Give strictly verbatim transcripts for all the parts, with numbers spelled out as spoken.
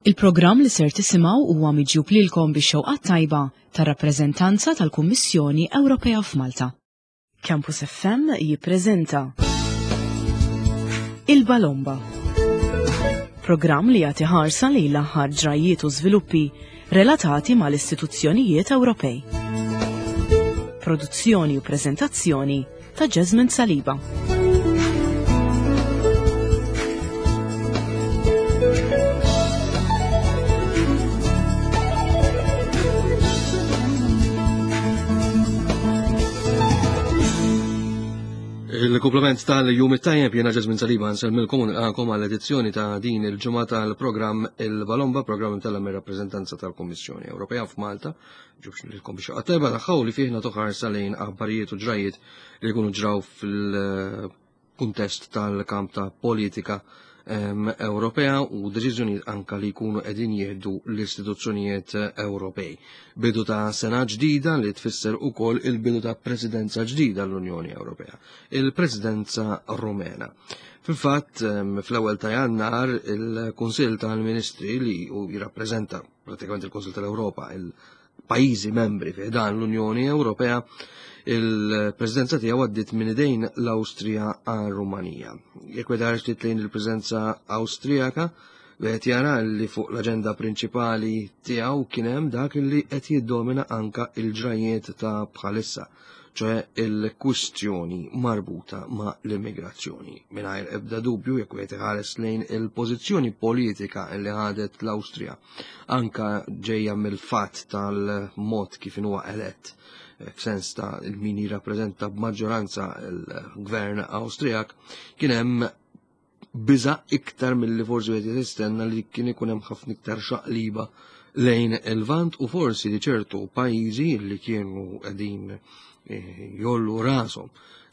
Il-programm li ser tisimgħu huwa miġjub lilkom bix-xewqa tajba tar-rappreżentanza tal-Kummissjoni Ewropea f'Malta. Campus F M jippreżenta Il-Balomba. Programm li jagħti ħarsa lejn l-aħħar ġrajiet u żviluppi relatati mal-istituzzjonijiet Ewropej. Produzzjoni u preżentazzjoni ta' Jasmine Saliba. Il-komplement tal-jum it-tajjeb, jiena Jasmine Saliba, nsellmilkom u nilqakom għall-edizzjoni ta' din il-ġimgħa tal-programm Il-Balomba, programm imtella' mir-rappreżentanza tal-Kummissjoni Ewropea f'Malta, miġjub lilkom bix-xewqa tajba tagħha u li fih nagħtu ħarsa lejn aħbarijiet u ġrajiet li jkunu ġraw fil-kuntest tal-kamp ta' politika Ewropea u deċiżjonijiet anka li jkunu qegħdin jieħdu l-istituzzjonijiet Ewropej. Bidu ta' sena ġdida li tfisser ukoll il-bidu ta' presidenza ġdida l-Unjoni Ewropea, il-Presidenza Rumena. Fil-fatt, fl-ewwel ta' Jannar, il-Kunsill tal-Ministri li jirrappreżenta pratikament il-Kunsill tal-Ewropa, il-pajjiżi membri fi dan l-Unjoni Ewropea, il-preżenza tiegħu għaddiet minn idejn l-Awstrija għal Rumanija. Jekk wieħed ħareġ lejn il-preżenza Awstrijaka, wieħed jara li fuq l-aġenda prinċipali tiegħu kien hemm dak li qed jiddomina anka il-ġrajiet ta' bħalissa, ċoè il-kwistjoni marbuta ma' l-immigrazzjoni. Mingħajr ebda dubju, jekk wieħed iħares lejn il-pożizzjoni politika li ħadet l-Awstrija, anka ġejja mill-fatt tal-mod kif huwa elett f'sens ta' il-min jirrappreżenta b'maġġoranza l-gvern Awstrijak, kien hemm biża iktar milli forsi wieħed jistenna li kien ikun hemm ħafna iktar xaqliba lejn il-Lvant u forsi li ċertu pajjiżi li kienu qegħdin eh, jollu rashom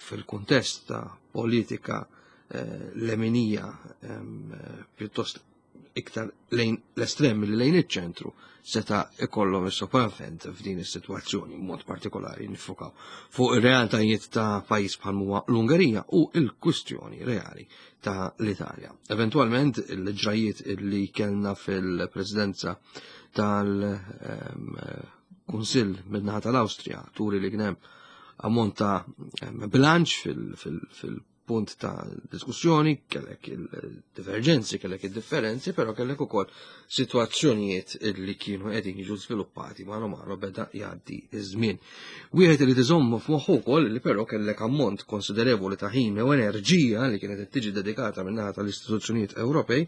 fil-kuntest ta' politika eh, leminija eh, pjuttost iktar lejn l-estrem li lejn iċ-ċentru seta' ikollhom is-sopravvent f'din is-sitwazzjoni, b'mod partikolari nifokaw fuq ir-realtajiet ta' pajjiż bħal huwa l-Ungerija u l-kwistjoni reali ta' l-Italja. Eventwalment il-ġrajiet li kellna fil-presidenza tal-Kunsill min-naħa tal-Awstrija turi li kien hemm ammont ta' bilanċ fil punt ta' diskussjoni, kellek il-divergenzi, kellek il-differenzi, però kellek ukoll situazzjonijiet li kienu qegħdin jiġu żviluppati mano mano beda jgħaddi iż-żmien. Wieħed li tiżommu f'moħħu wkoll li però kellek ammont konsiderevoli ta' ħin u enerġija li kienet qed tiġi dedikata min-naħa tal-istituzzjonijiet Ewropej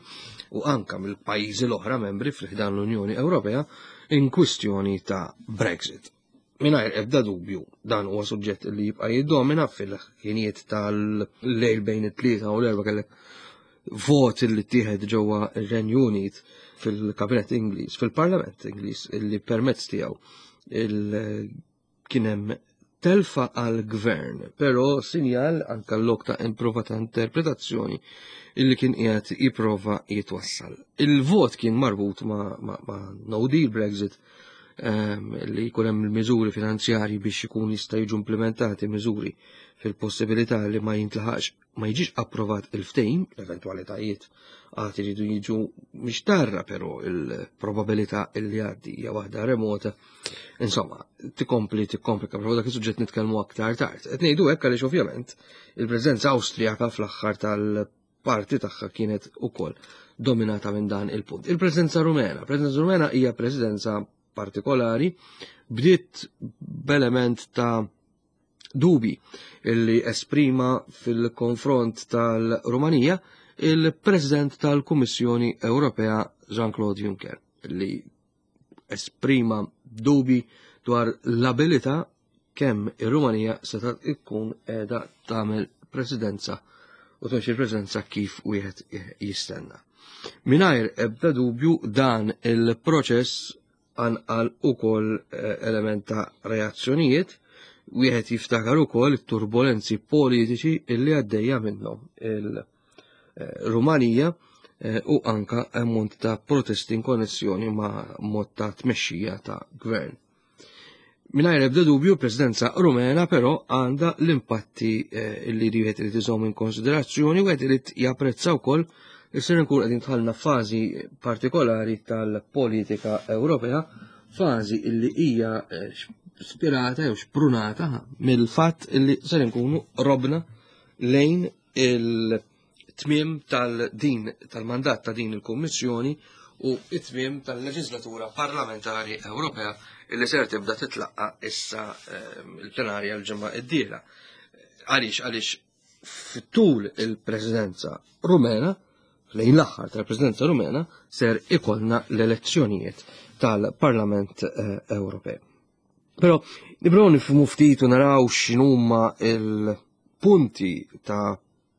u anka mill-pajjiżi l-oħra membri fil-ħdan l-Unjoni Ewropea in kwistjoni ta' Brexit. Mingħajr ebda dubju, dan huwa suġġett li jibqa' jiddomina. Fil-ħinijiet tal-lejl bejn it-tlieta u l-erba' kellek vot li ttieħed ġewwa ir-Renju Unit fil-Kabinett Ingliż, fil-Parlament Ingliż, illi permezz tiegħu kien hemm telfa għal gvern, però sinjal anka l-lok ta' improva ta' interpretazzjoni illi kien qiegħed jipprova jitwassal. Il-vot kien marbut ma', ma, ma no deal Brexit, Ehm, li jkun hemm il-miżuri finanzjarji biex ikun jista' jiġu implementati miżuri fil-possibilità li ma jintlaħax, ma jiġix approvat il-ftehim, l-eventwalitajiet għad iridu jiġu mixtarra, però il-probabilità li għaddi hija waħda remota. Insomma, tikompli tikkomplika, però dak is-suġġett nitkellmu aktar tard. Qed ngħidu hekk għaliex ovvjament il-preżenza Awstrijaka fl-aħħar tal-parti tagħha kienet ukoll dominata minn dan il-punt. Il-preżenza Rumena, preżenza Rumena hija preżenza partikolari, bdiet b'element ta' dubi illi esprima fil-konfront tal-Rumanija il-President tal-Kummissjoni Ewropea Jean-Claude Juncker, li esprima dubi dwar l-abilità kemm ir-Rumanija seta' ikkun qiegħda tagħmel presidenza u tmexxi l-presidenza kif wieħed jistenna. Mingħajr ebda dubju, dan il-proċess qanqal ukoll eh, element ta' reazzjonijiet. Wieħed jiftakar ukoll it-turbolenzi politiċi illi għaddejja minnhom il-Rumanija eh, u anka ammont ta' protesti in konnessjoni ma' mod ta' tmexxija ta' gvern. Mingħajr ebda dubju, presidenza Rumena però għandha l-impatti eh, li wieħed irid iżomm in konsiderazzjoni u irid japprezza wkoll li ser nkun qegħdin dħalna fażi partikolari tal-politika Ewropea, fażi illi hija spirata jew xprunata mill-fatt illi ser nkunu robna lejn il-tmiem tal-din tal-mandat ta' din il-Kummissjoni u it-tmiem tal-leġislatura parlamentari Ewropea illi ser tibda titlaqqa issa il-plenarja l-ġimgħa d-dieħla. Għaliex għaliex fit-tul il-Presidenza Rumena, lejn l-aħħar tal-Presidenza Rumena, ser ikollna l-elezzjonijiet tal-Parlament Ewropew. Però nibdew nifhmu ftit u naraw x'inhuma il-punti ta'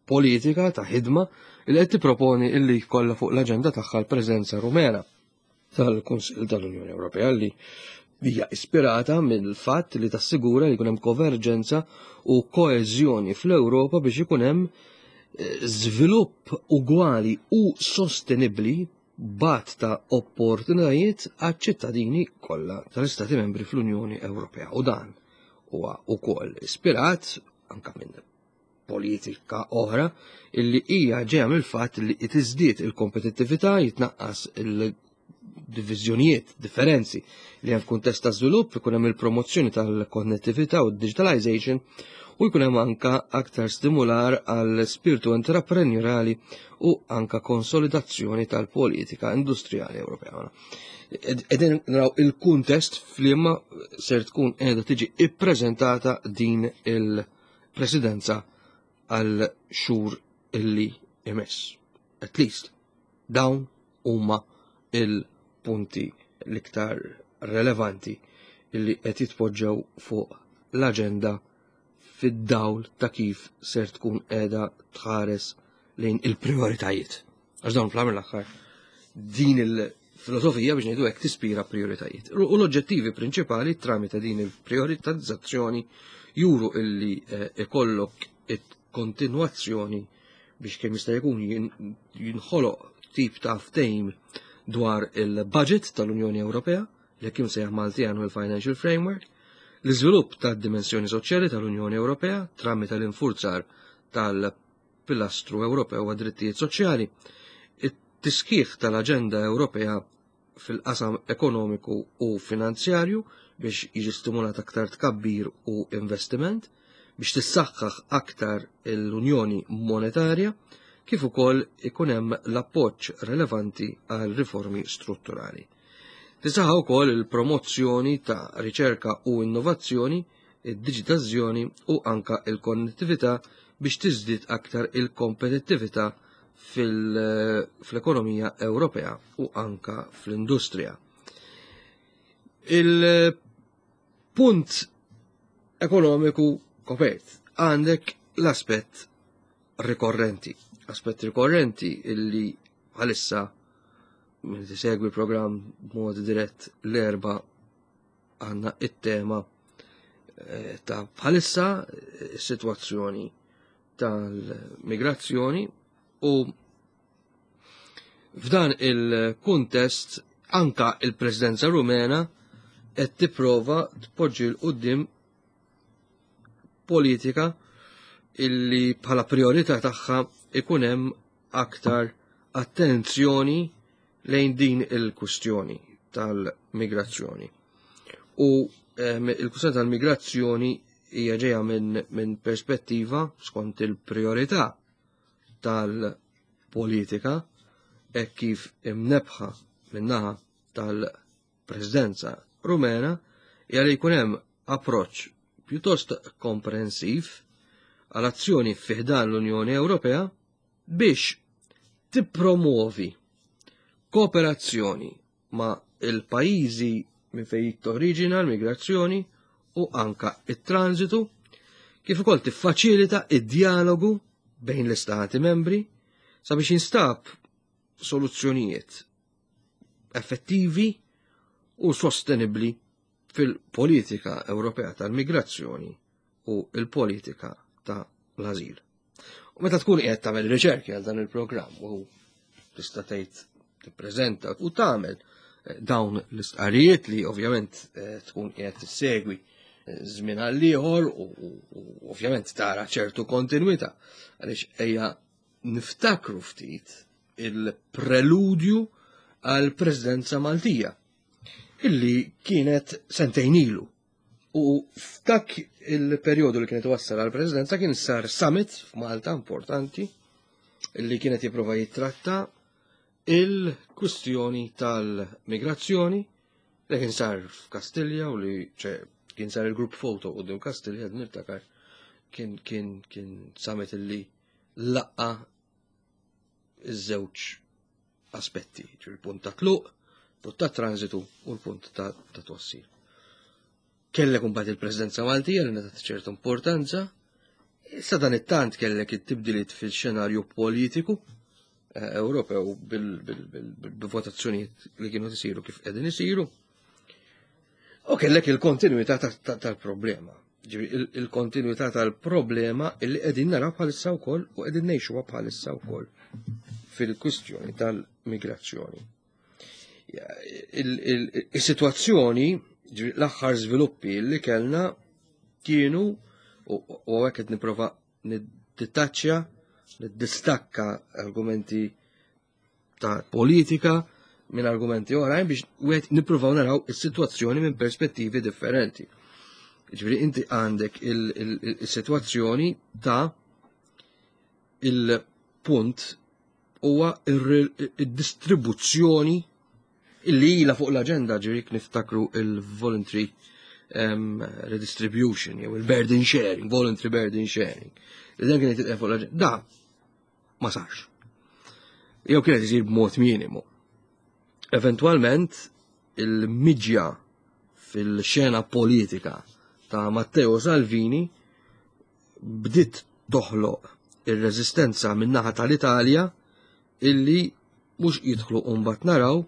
politika, ta' ħidma li qed tipproponi illi jkollha fuq l-aġenda tagħha l-Presidenza Rumena tal-Kunsill tal-Unjoni Ewropea li hija ispirata mill-fatt li tassigura li jkun hemm konverġenza u koeżjoni fl-Ewropa biex ikun hemm żvilupp ugwali u sostenibbli bat ta' opportunitajiet għaċ-ċittadini kollha tal-Istati Membri fl-Unjoni Ewropea. U dan huwa wkoll ispirat anka minn politika oħra illi hija ġejja mill-fatt li tiżdied il-kompetittività, jitnaqqas il-diviżjonijiet, differenzi li hemm f'kuntest ta' żvilupp, ikun hemm il-promozzjoni tal-konnettività u d-digitalization u jkun hemm anka aktar stimular għal spiritu intraprenjorali u anka konsolidazzjoni tal-politika industrijali Ewropea. Qegħdin naraw il-kuntest f'liema ser tkun qiegħda tiġi ippreżentata din il-presidenza għal xhur illi imiss. At least dawn huma il-punti l-iktar relevanti illi qed jitpoġġew fuq l-aġenda fid-dawl ta' kif ser tkun qiegħda tħares lejn il-prioritajiet. Għax dawn fl-aħħar l-aħħar din il-filosofija biex ngħidu hekk tispira prioritajiet. U l-oġġettivi prinċipali tramite din il-prioritizzazzjoni juru illi ikollok it-kontinwazzjoni biex kemm jista' jkun jinħoloq tip ta' ftehim dwar il-budget tal-Unjoni Ewropea, li kien sejjaħ Malti Annual Financial Framework, l-iżvilupp tad-dimensjoni soċjali tal-Unjoni Ewropea tramite l-infurzar tal-Pilastru Ewropew għad-drittijiet soċjali, it-tiskieħ tal-Aġenda Ewropea fil-qasam ekonomiku u finanzjarju biex jiġi stimulat aktar tkabbir u investiment, biex tissaħħaħ aktar l-Unjoni Monetarja, kif ukoll ikun hemm l-appoġġ relevanti għal riformi strutturali. Tisaħħa wkoll il-promozzjoni ta' riċerka u innovazzjoni, id-diġitalizzazzjoni u anka il-konnettività biex tiżdied aktar il-kompetittività fl-ekonomija Ewropea u anka fl-industrija. Il-punt ekonomiku kopert għandek l-aspett rikorrenti. Aspett rikorrenti illi bħalissa minn tisegwi l-programm b'mod dirett l-erba għandna it-tema ta' bħalissa is-sitwazzjoni tal-migrazzjoni u f'dan il-kuntest anka il-Presidenza Rumena qed tipprova tpoġġi l quddiem politika illi bħala priorità tagħha ikun hemm aktar attenzjoni lejn din il-kwistjoni tal-migrazzjoni. U il-kwistjoni tal-migrazzjoni hija ġejja minn min perspettiva skont il-priorità tal-politika hekk kif imnebħa min-naħa tal-Presidenza Rumena hija li jkun hemm approċċ pjuttost komprensiv għal azzjoni fiħdan l-Unjoni Ewropea biex tippromuovi kooperazzjoni ma' il-pajjiżi minn fejn torriġina l-migrazzjoni u anka it-transitu, kif ukoll tiffaċilita id-dialogu bejn l-istati membri sabiex jinstab soluzzjonijiet effettivi u sostenibli fil-politika Ewropea tal-migrazzjoni u il-politika ta' l-azil. U meta tkun qiegħed tagħmel riċerki għal dan il-programm u tista' tgħid tippreżenta u tagħmel dawn l-istqarrijiet li ovvjament tkun qiegħed tissegwi żmien għal ieħor u ovvjament tara ċertu kontinwità għaliex ejja niftakru ftit il-preludju għal presidenza Maltija illi kienet sentejn ilu. U f'dak il-perjodu li kienet wassal għal presidenza kien sar summit f'Malta importanti illi kienet jipprova jittratta il-kwistjoni tal-migrazzjoni li kien sar f'Kastilja u li ċe, kien sar il-group photo quddiem Kastilja, niftakar kien kien kien summit illi laqqa iż-żewġ aspetti, il-punt ta' tluq, punt ta' transitu u l-punt ta' ta' twassil. Kellek imbagħad il-Presidenza Maltija li ngħatat ċerta importanza, issa dan it-tant kellek it-tibdiliet fil-xenarju politiku eh, Ewropew bil-votazzjonijiet li kienu isiru kif qegħdin isiru. U kellek il-kontinuità tal-problema. Il-kontinuità tal-problema illi qegħdin naraw bħalissa wkoll u qegħdin ngħixuha bħalissa wkoll fil-kwistjoni tal-migrazzjoni. Il-sitwazzjoni, l-aħħar żviluppi li kellna kienu, u hekk qed nipprova niddittaċċja, niddistakka argumenti ta' politika minn argumenti oħrajn biex wieħed nippruvaw naraw is-sitwazzjoni minn perspettivi differenti. Ġifieri inti għandek il-sitwazzjoni ta' il-punt huwa il-distribuzzjoni illi ilha fuq l-aġenda, ġifieri niftakru il-voluntary um, redistribution jew il-burden sharing, voluntary burden sharing. Li dan kienet fuq l-aġenda. Da ma sarx. Jew kienet isir b'mod minimu. Eventualment il-miġja fil-xena politika ta' Matteo Salvini bdiet toħloq ir-reżistenza min-naħa tal-Italja illi mhux jidħlu u mbagħad naraw,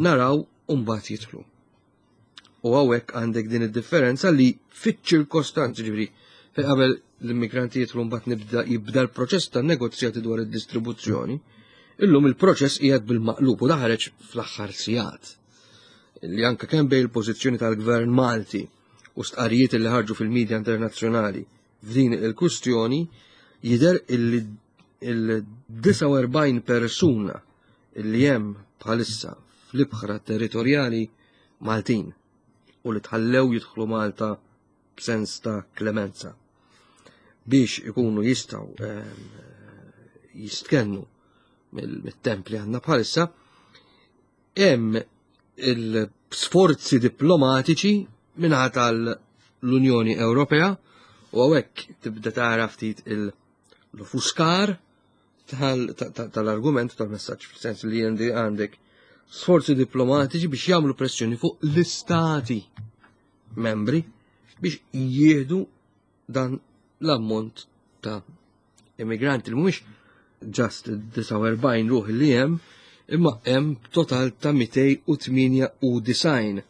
naraw u mbagħad jidħlu. U hawnhekk għandek din id-differenza li fiċ-ċirkostanzi, ġifieri fejn qabel l-immigranti jidħlu mbagħad nibda jibda l-proċess ta' negozjati dwar id-distribuzzjoni, illum il-proċess qiegħed bil-maqlub u daħreġ fl-aħħar sigħat. Li anke kemm bejn il-pożizzjoni tal-Gvern Malti u stqarrijiet li ħarġu fil-medja internazzjonali f'din il-kwistjoni jidher illi il-disgħa u erbgħin persuna illi hemm bħalissa fl-ibħra territorjali Maltin u li tħallew jidħlu Malta b'sens ta' klemenza biex ikunu jistgħu, ehm, jistkennu mill-temp li għandna bħalissa, hemm il-sforzi diplomatiċi minħa tal-Unjoni Ewropea u hawnhekk tibda tara ftit il-fuskar tal-argument tal-messaġġ, fil-sens li għandi għandek sforzi diplomatiċi biex jagħmlu pressjoni fuq l-istati membri biex jieħdu dan l-ammont ta' immigranti li mhumiex just disgħa u erbgħin ruħ li hemm, imma hemm total ta' mitej u tmienja u disgħin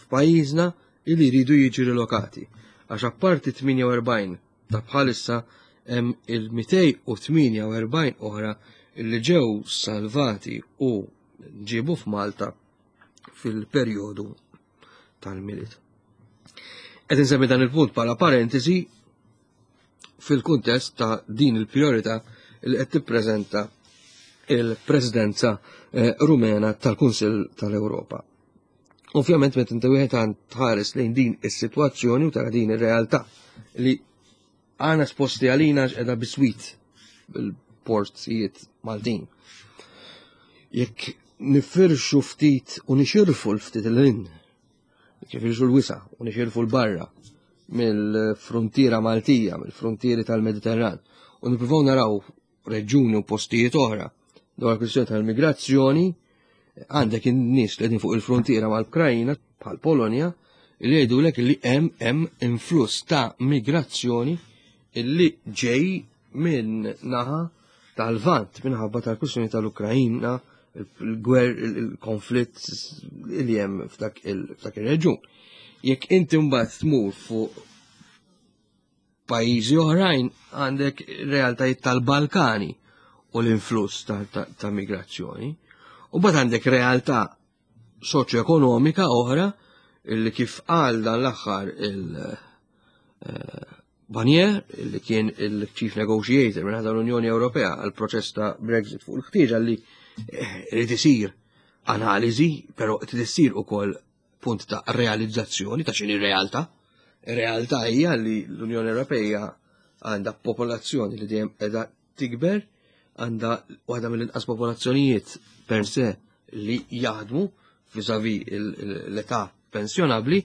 f'pajjiżna li jridu jiġu rilokati. Għax apparti tmienja u erbgħin ta' bħalissa hemm il-mitej u tmienja u erbgħin oħra li ġew salvati u ġiebu f'Malta fil-perjodu tal-Milied. Qed insemmi dan il-punt bħala parentesi fil-kuntest ta' din il-priorità li qed tippreżenta il-Presidenza, eh, Rumena tal-Kunsill tal-Ewropa. Ovvjament meta inti wieħed għand tħares lejn din is-sitwazzjoni u tara din ir-realtà li għandna esposti għalina qiegħda biswit bil-portijiet Maltin. Jekk nifirxu ftit u nixirfu l-ftit l-in, nifirxu l-wisa u nixirfu l-barra mill-frontiera Maltija, mill-frontieri tal-Mediterran, u nippruvaw naraw reġjuni u postijiet oħra dwar kwistjoni tal-migrazzjoni, għandek in-nies li qegħdin fuq il-frontiera mal-Ukrajna bħal Polonja li jgħidulek li hemm, hemm influss ta' migrazzjoni illi ġej minn naħa tal-Lvant minħabba tal-kwistjoni tal-Ukrajna, il-gwer, il-konflitt li hemm f'dak il-, f'dak ir-reġjun. Jekk inti mbagħad tmur fuq pajjiżi oħrajn għandek realtajiet tal-Balkani u l-influss ta', ta', ta' migrazzjoni. U mbagħad għandek realtà soċjoekonomika oħra illi kif qal dan l-aħħar il-, eh, Barnier, li kien il-Chief Negotiator minn l-Unjoni Ewropea għal proċess ta' Brexit, fuq il-ħtieġa li irid isir analiżi, però trid issir ukoll punt ta' realizzazzjoni ta' x'inhi realtà. Realtà hija li l-Unjoni Ewropea għandha popolazzjoni li dejjem qiegħda tikber, għandha waħda mill-inqas popolazzjonijiet per se li jaħdmu vis-à-vis l-età pensjonabbli,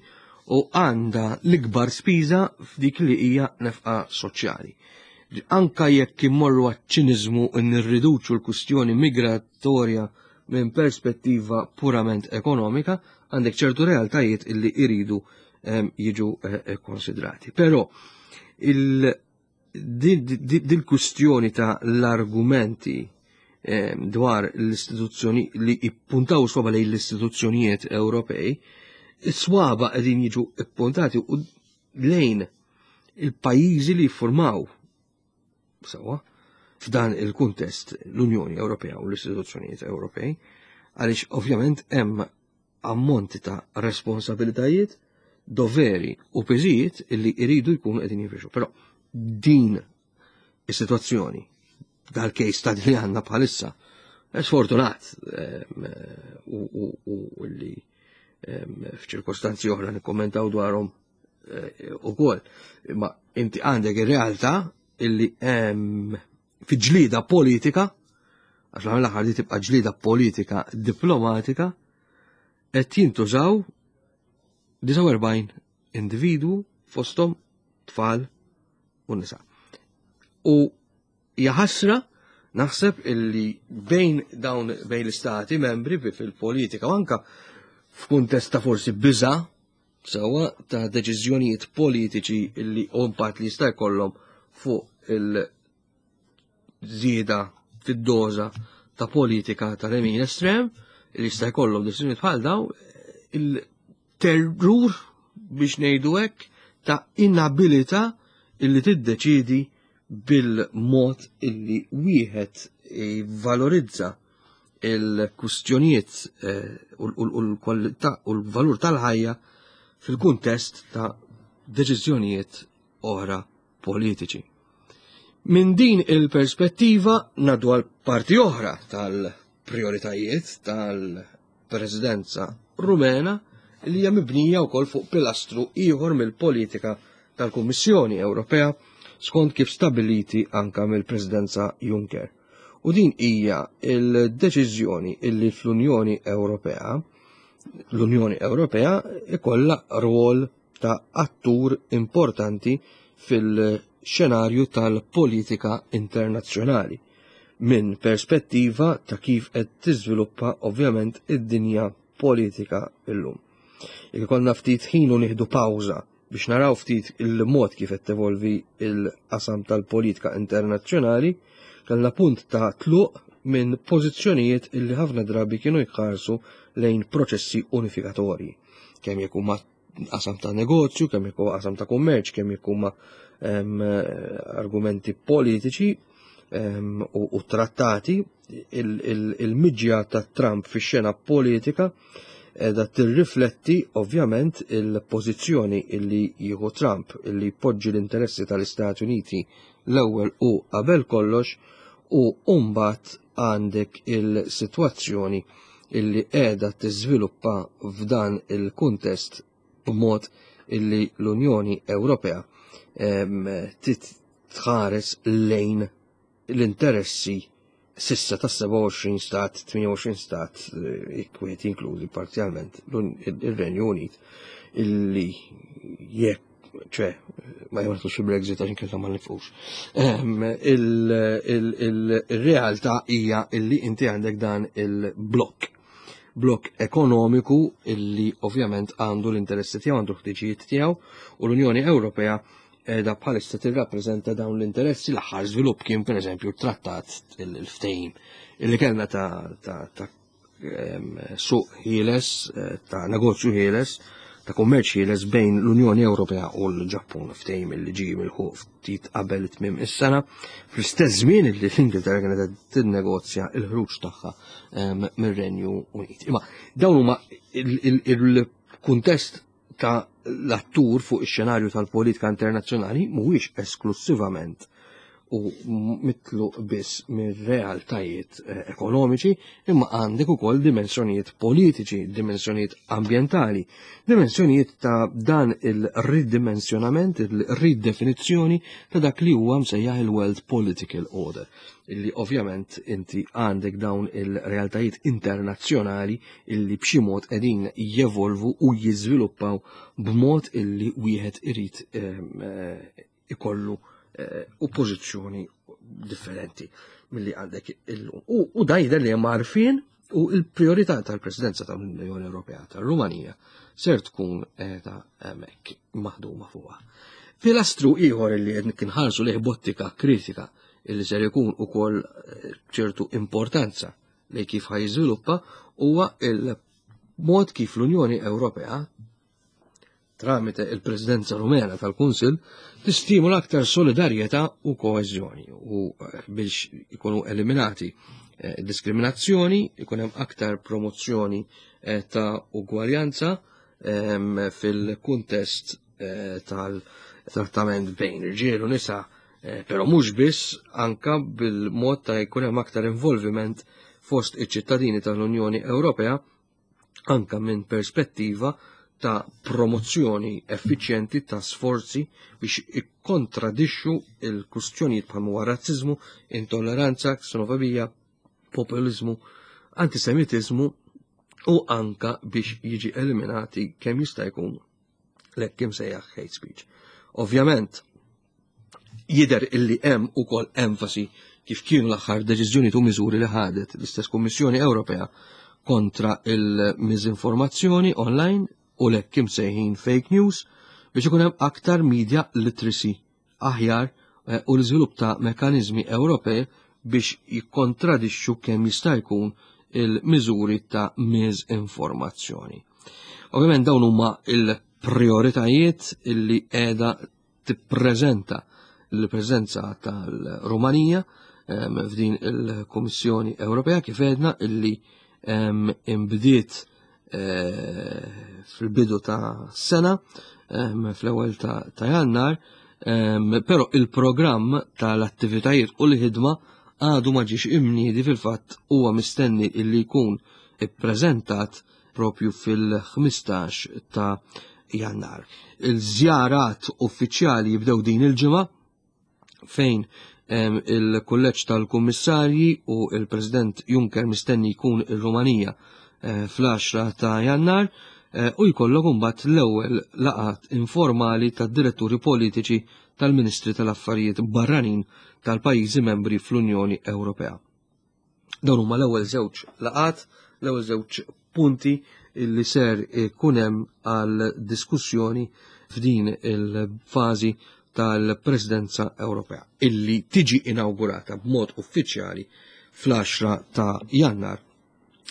u għandha l-ikbar spiża f'dik li hija nefqa soċjali. Anka jekk immorru għaċ-ċiniżmu u nirriduċu l-kwistjoni migratorja minn perspettiva purament ekonomika, għandek ċertu realtajiet illi iridu jiġu konsidrati. Però dil-kwistjoni ta' l-argumenti dwar l-istituzzjoni li ippuntaw swaba lejn l-istituzzjonijiet Ewropej, is-swaba qegħdin jiġu ippuntati u lejn il-pajjiżi li jiffurmaw sewwa f'dan il-kuntest l-Unjoni Ewropea u l-istituzzjonijiet Ewropej, għaliex ovvjament hemm ammonti ta' responsabilitajiet, doveri u piżijiet illi jridu jkunu qegħdin jinfirxu. Però din is-sitwazzjoni, dal-case study li għandna bħalissa, sfortunat u li f'ċirkostanzi oħra nikkommentaw dwarhom ukoll. Imma inti għandek ir-realtà illi hemm fi ġlida politika, għax l-aħħar li tibqa' ġlida politika diplomatika, qed jintużaw disgħa u erbgħin individwu fosthom tfal u nisa. U hija ħasra naħseb illi bejn dawn bejn l-istati membri fil-politika u anka f'kuntest ta' forsi biża' sewwa ta' deċiżjonijiet politiċi illi impatt li jista' jkollhom fuq il-żieda fid-doża ta' politika tal-lemin estrem, li jista' jkollhom deċiżjonijiet bħal daw, il-terrur biex ngħidu hekk ta' inabilità illi tiddeċidi bil-mod illi wieħed jivvalorizza il-kustjonijiet u l-kwalità u l-valur tal-ħajja fil-kuntest ta' deċiżjonijiet oħra politiċi. Minn din il-perspettiva ngħaddu għal parti oħra tal-prioritajiet tal-Presidenza Rumena li hija mibnija wkoll fuq pilastru ieħor mill-politika tal-Kummissjoni Ewropea skont kif stabiliti anka mill-Presidenza Juncker. U din hija il-deċiżjoni illi fl-Unjoni Ewropea l-Unjoni Ewropea ikollha rwol ta' attur importanti fil-xenarju tal-politika internazzjonali minn perspettiva ta' kif qed tiżviluppa ovvjament id-dinja politika illum. Jekk ikollna ftit ħin u nieħdu pawża biex naraw ftit il-mod kif qed tevolvi il-qasam tal-politika internazzjonali, kellna punt ta' tluq minn pożizzjonijiet illi ħafna drabi kienu jħarsu lejn proċessi unifikatorji, kemm jekk huma qasam ta' negozju, kemm jekk huwa qasam ta' kummerċ, kemm jekk huma argumenti politiċi u trattati. Il-miġja ta' Trump fix-xena politika qiegħda tirrifletti ovvjament il-pożizzjoni illi jieħu Trump, illi jpoġġi l-interessi tal-Istati Uniti l-ewwel u qabel kollox, u mbagħad għandek il-sitwazzjoni illi qiegħda tiżviluppa f'dan il-kuntest b'mod illi l-Unjoni Ewropea titħares lejn l-interessi sissa ta' sebgħa u għoxrin stat, tmienja u għoxrin stat, jekk jinkludi parzjalment ir-Renju Unit, illi jekk ċe ma jmartux il-Brexit għax inkella ma nifqux. Il-realtà hija illi inti għandek dan il-blokk. Blokk ekonomiku illi ovvjament għandu l-interessi tiegħu, għandu l-ħtiġijiet tiegħu, u l-Unjoni Ewropea qiegħda bħalissa tirrappreżenta dawn l-interessi. L-aħħar żvilupp kien pereżempju trattat il-ftehim illi kellna ta', ta, ta' suq ħieles, ta' negozju ħieles, ta' kummerċ ħieles bejn l-Unjoni Ewropea u l-Ġappun, ftehim illi ġie milħuq ftit qabel tmiem is-sena, fl-istess żmien illi l-Ingilterra kienet qed tinnegozja l-ħruġ tagħha mir-Renju Unit. Imma dawn huma il-kuntest ta' l-attur fuq ix-xenarju tal-politika internazzjonali mhuwiex esklussivament u mitlu biss mir-realtajiet eh, ekonomiċi, imma għandek ukoll dimensjonijiet politiċi, dimensjonijiet ambjentali, dimensjonijiet ta' dan il-ridimensjonament, il-ridefinizzjoni ta' dak li huwa msejjaħ il-World Political Order, illi ovvjament inti għandek dawn il-realtajiet internazzjonali illi b'xi mod qegħdin jevolvu u jiżviluppaw b'mod illi wieħed irid eh, ikollu eh, u pożizzjoni differenti milli għandek illum. U, u da jidher li hemm għarfien u il-priorità tal-Presidenza tal-Unjoni Ewropea tal-Rumanija ser tkun qiegħda hemmhekk maħduma fuqha. Pilastru ieħor li qed nħarsu lejh b'ottika kritika illi ser ikun ukoll eh, ċertu importanza li kif ħa jiżviluppa huwa il-mod kif l-Unjoni Ewropea tramite il-Presidenza Rumena tal-Kunsil tistimula aktar solidarjetà u koeżjoni u eh, biex ikunu eliminati eh, diskriminazzjoni, ikun hemm aktar promozzjoni eh, ta' ugwaljanza ehm, fil-kuntest tal-trattament bejn irġiel u nisa, però mhux biss, anka bil-mod ta' jkun hemm aktar involviment fost iċ-ċittadini tal-Unjoni Ewropea anka minn perspettiva ta' promozzjoni effiċjenti ta' sforzi biex ikkontradixxu il-kustjonijiet bħal huwa razziżmu, intolleranza, ksenofobija, populizmu, antisemitizmu u anka biex jiġi eliminati kemm jista' jkun l-hekk imsejjaħ hate speech. Ovvjament, jidher illi hemm ukoll enfasi kif kienu l-aħħar deċiżjoni u miżuri li ħadet l-istess Kummissjoni Ewropea kontra il-miżinformazzjoni online u l-hekk imsejħin fake news biex ikun hemm aktar media literacy aħjar eh, u l-iżvilupp ta' mekanizmi Ewropej biex jikkontradixxu kemm jista' jkun il-miżuri ta' miżinformazzjoni. Ovvjament dawn huma il-prioritajiet illi qiegħda tippreżenta l-preżenza tal-Rumanija f'din il-Kummissjoni Ewropea, kif għedna, illi imbdiet eh, fil-bidu ta' sena, fl-ewwel ta' Jannar, però il-programm tal-attivitajiet u l-ħidma għadu ma ġiex imniedi. Fil-fatt huwa mistenni illi jkun ippreżentat propju fil-ħmistax ta' Jannar. Il-żjarat uffiċjali jibdew din il-ġimgħa fejn il-kulleġġ tal-Kummissarji u il-President Juncker mistenni jkun ir-Rumanija eh, fl-għaxra ta' Jannar eh, u jkollok imbagħad l-ewwel laqat informali tad-diretturi politiċi tal-Ministri tal-Affarijiet Barranin tal-pajjiżi membri fl-Unjoni Ewropea. Dawn huma l-ewwel żewġ laqat, l-ewwel żewġ punti illi ser ikun hemm għal diskussjoni f'din il-fażi tal-Presidenza Ewropea illi tiġi inaugurata b'mod uffiċjali fl-għaxra ta' Jannar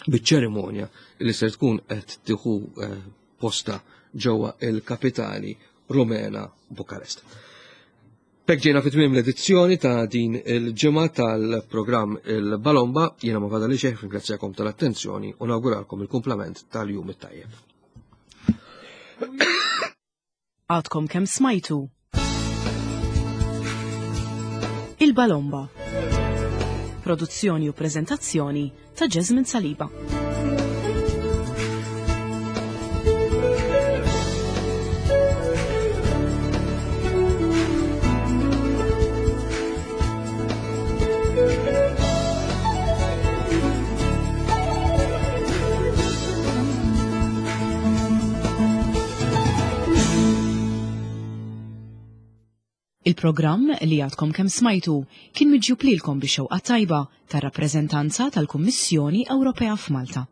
biċ-ċerimonja li ser tkun qed tieħu eh, posta ġewwa il-kapitali Rumena, Bukarest. B'hekk ġejna fi tmiem l-edizzjoni ta' din il-ġimgħa tal-programm Il-Balomba. Jiena ma fadalli xejn ringrazzjakom tal-attenzjoni u nawguralkom il-kumplament tal-jum it-tajjeb. Għadkom kemm smajtu Il-Balomba. Produzzjoni u prezentazzjoni ta' Jasmine Saliba. Il-programm li għadkom kemm smajtu kien miġjub lilkom bix-xewqa tajba tar-rappreżentanza tal-Kummissjoni Ewropea f'Malta.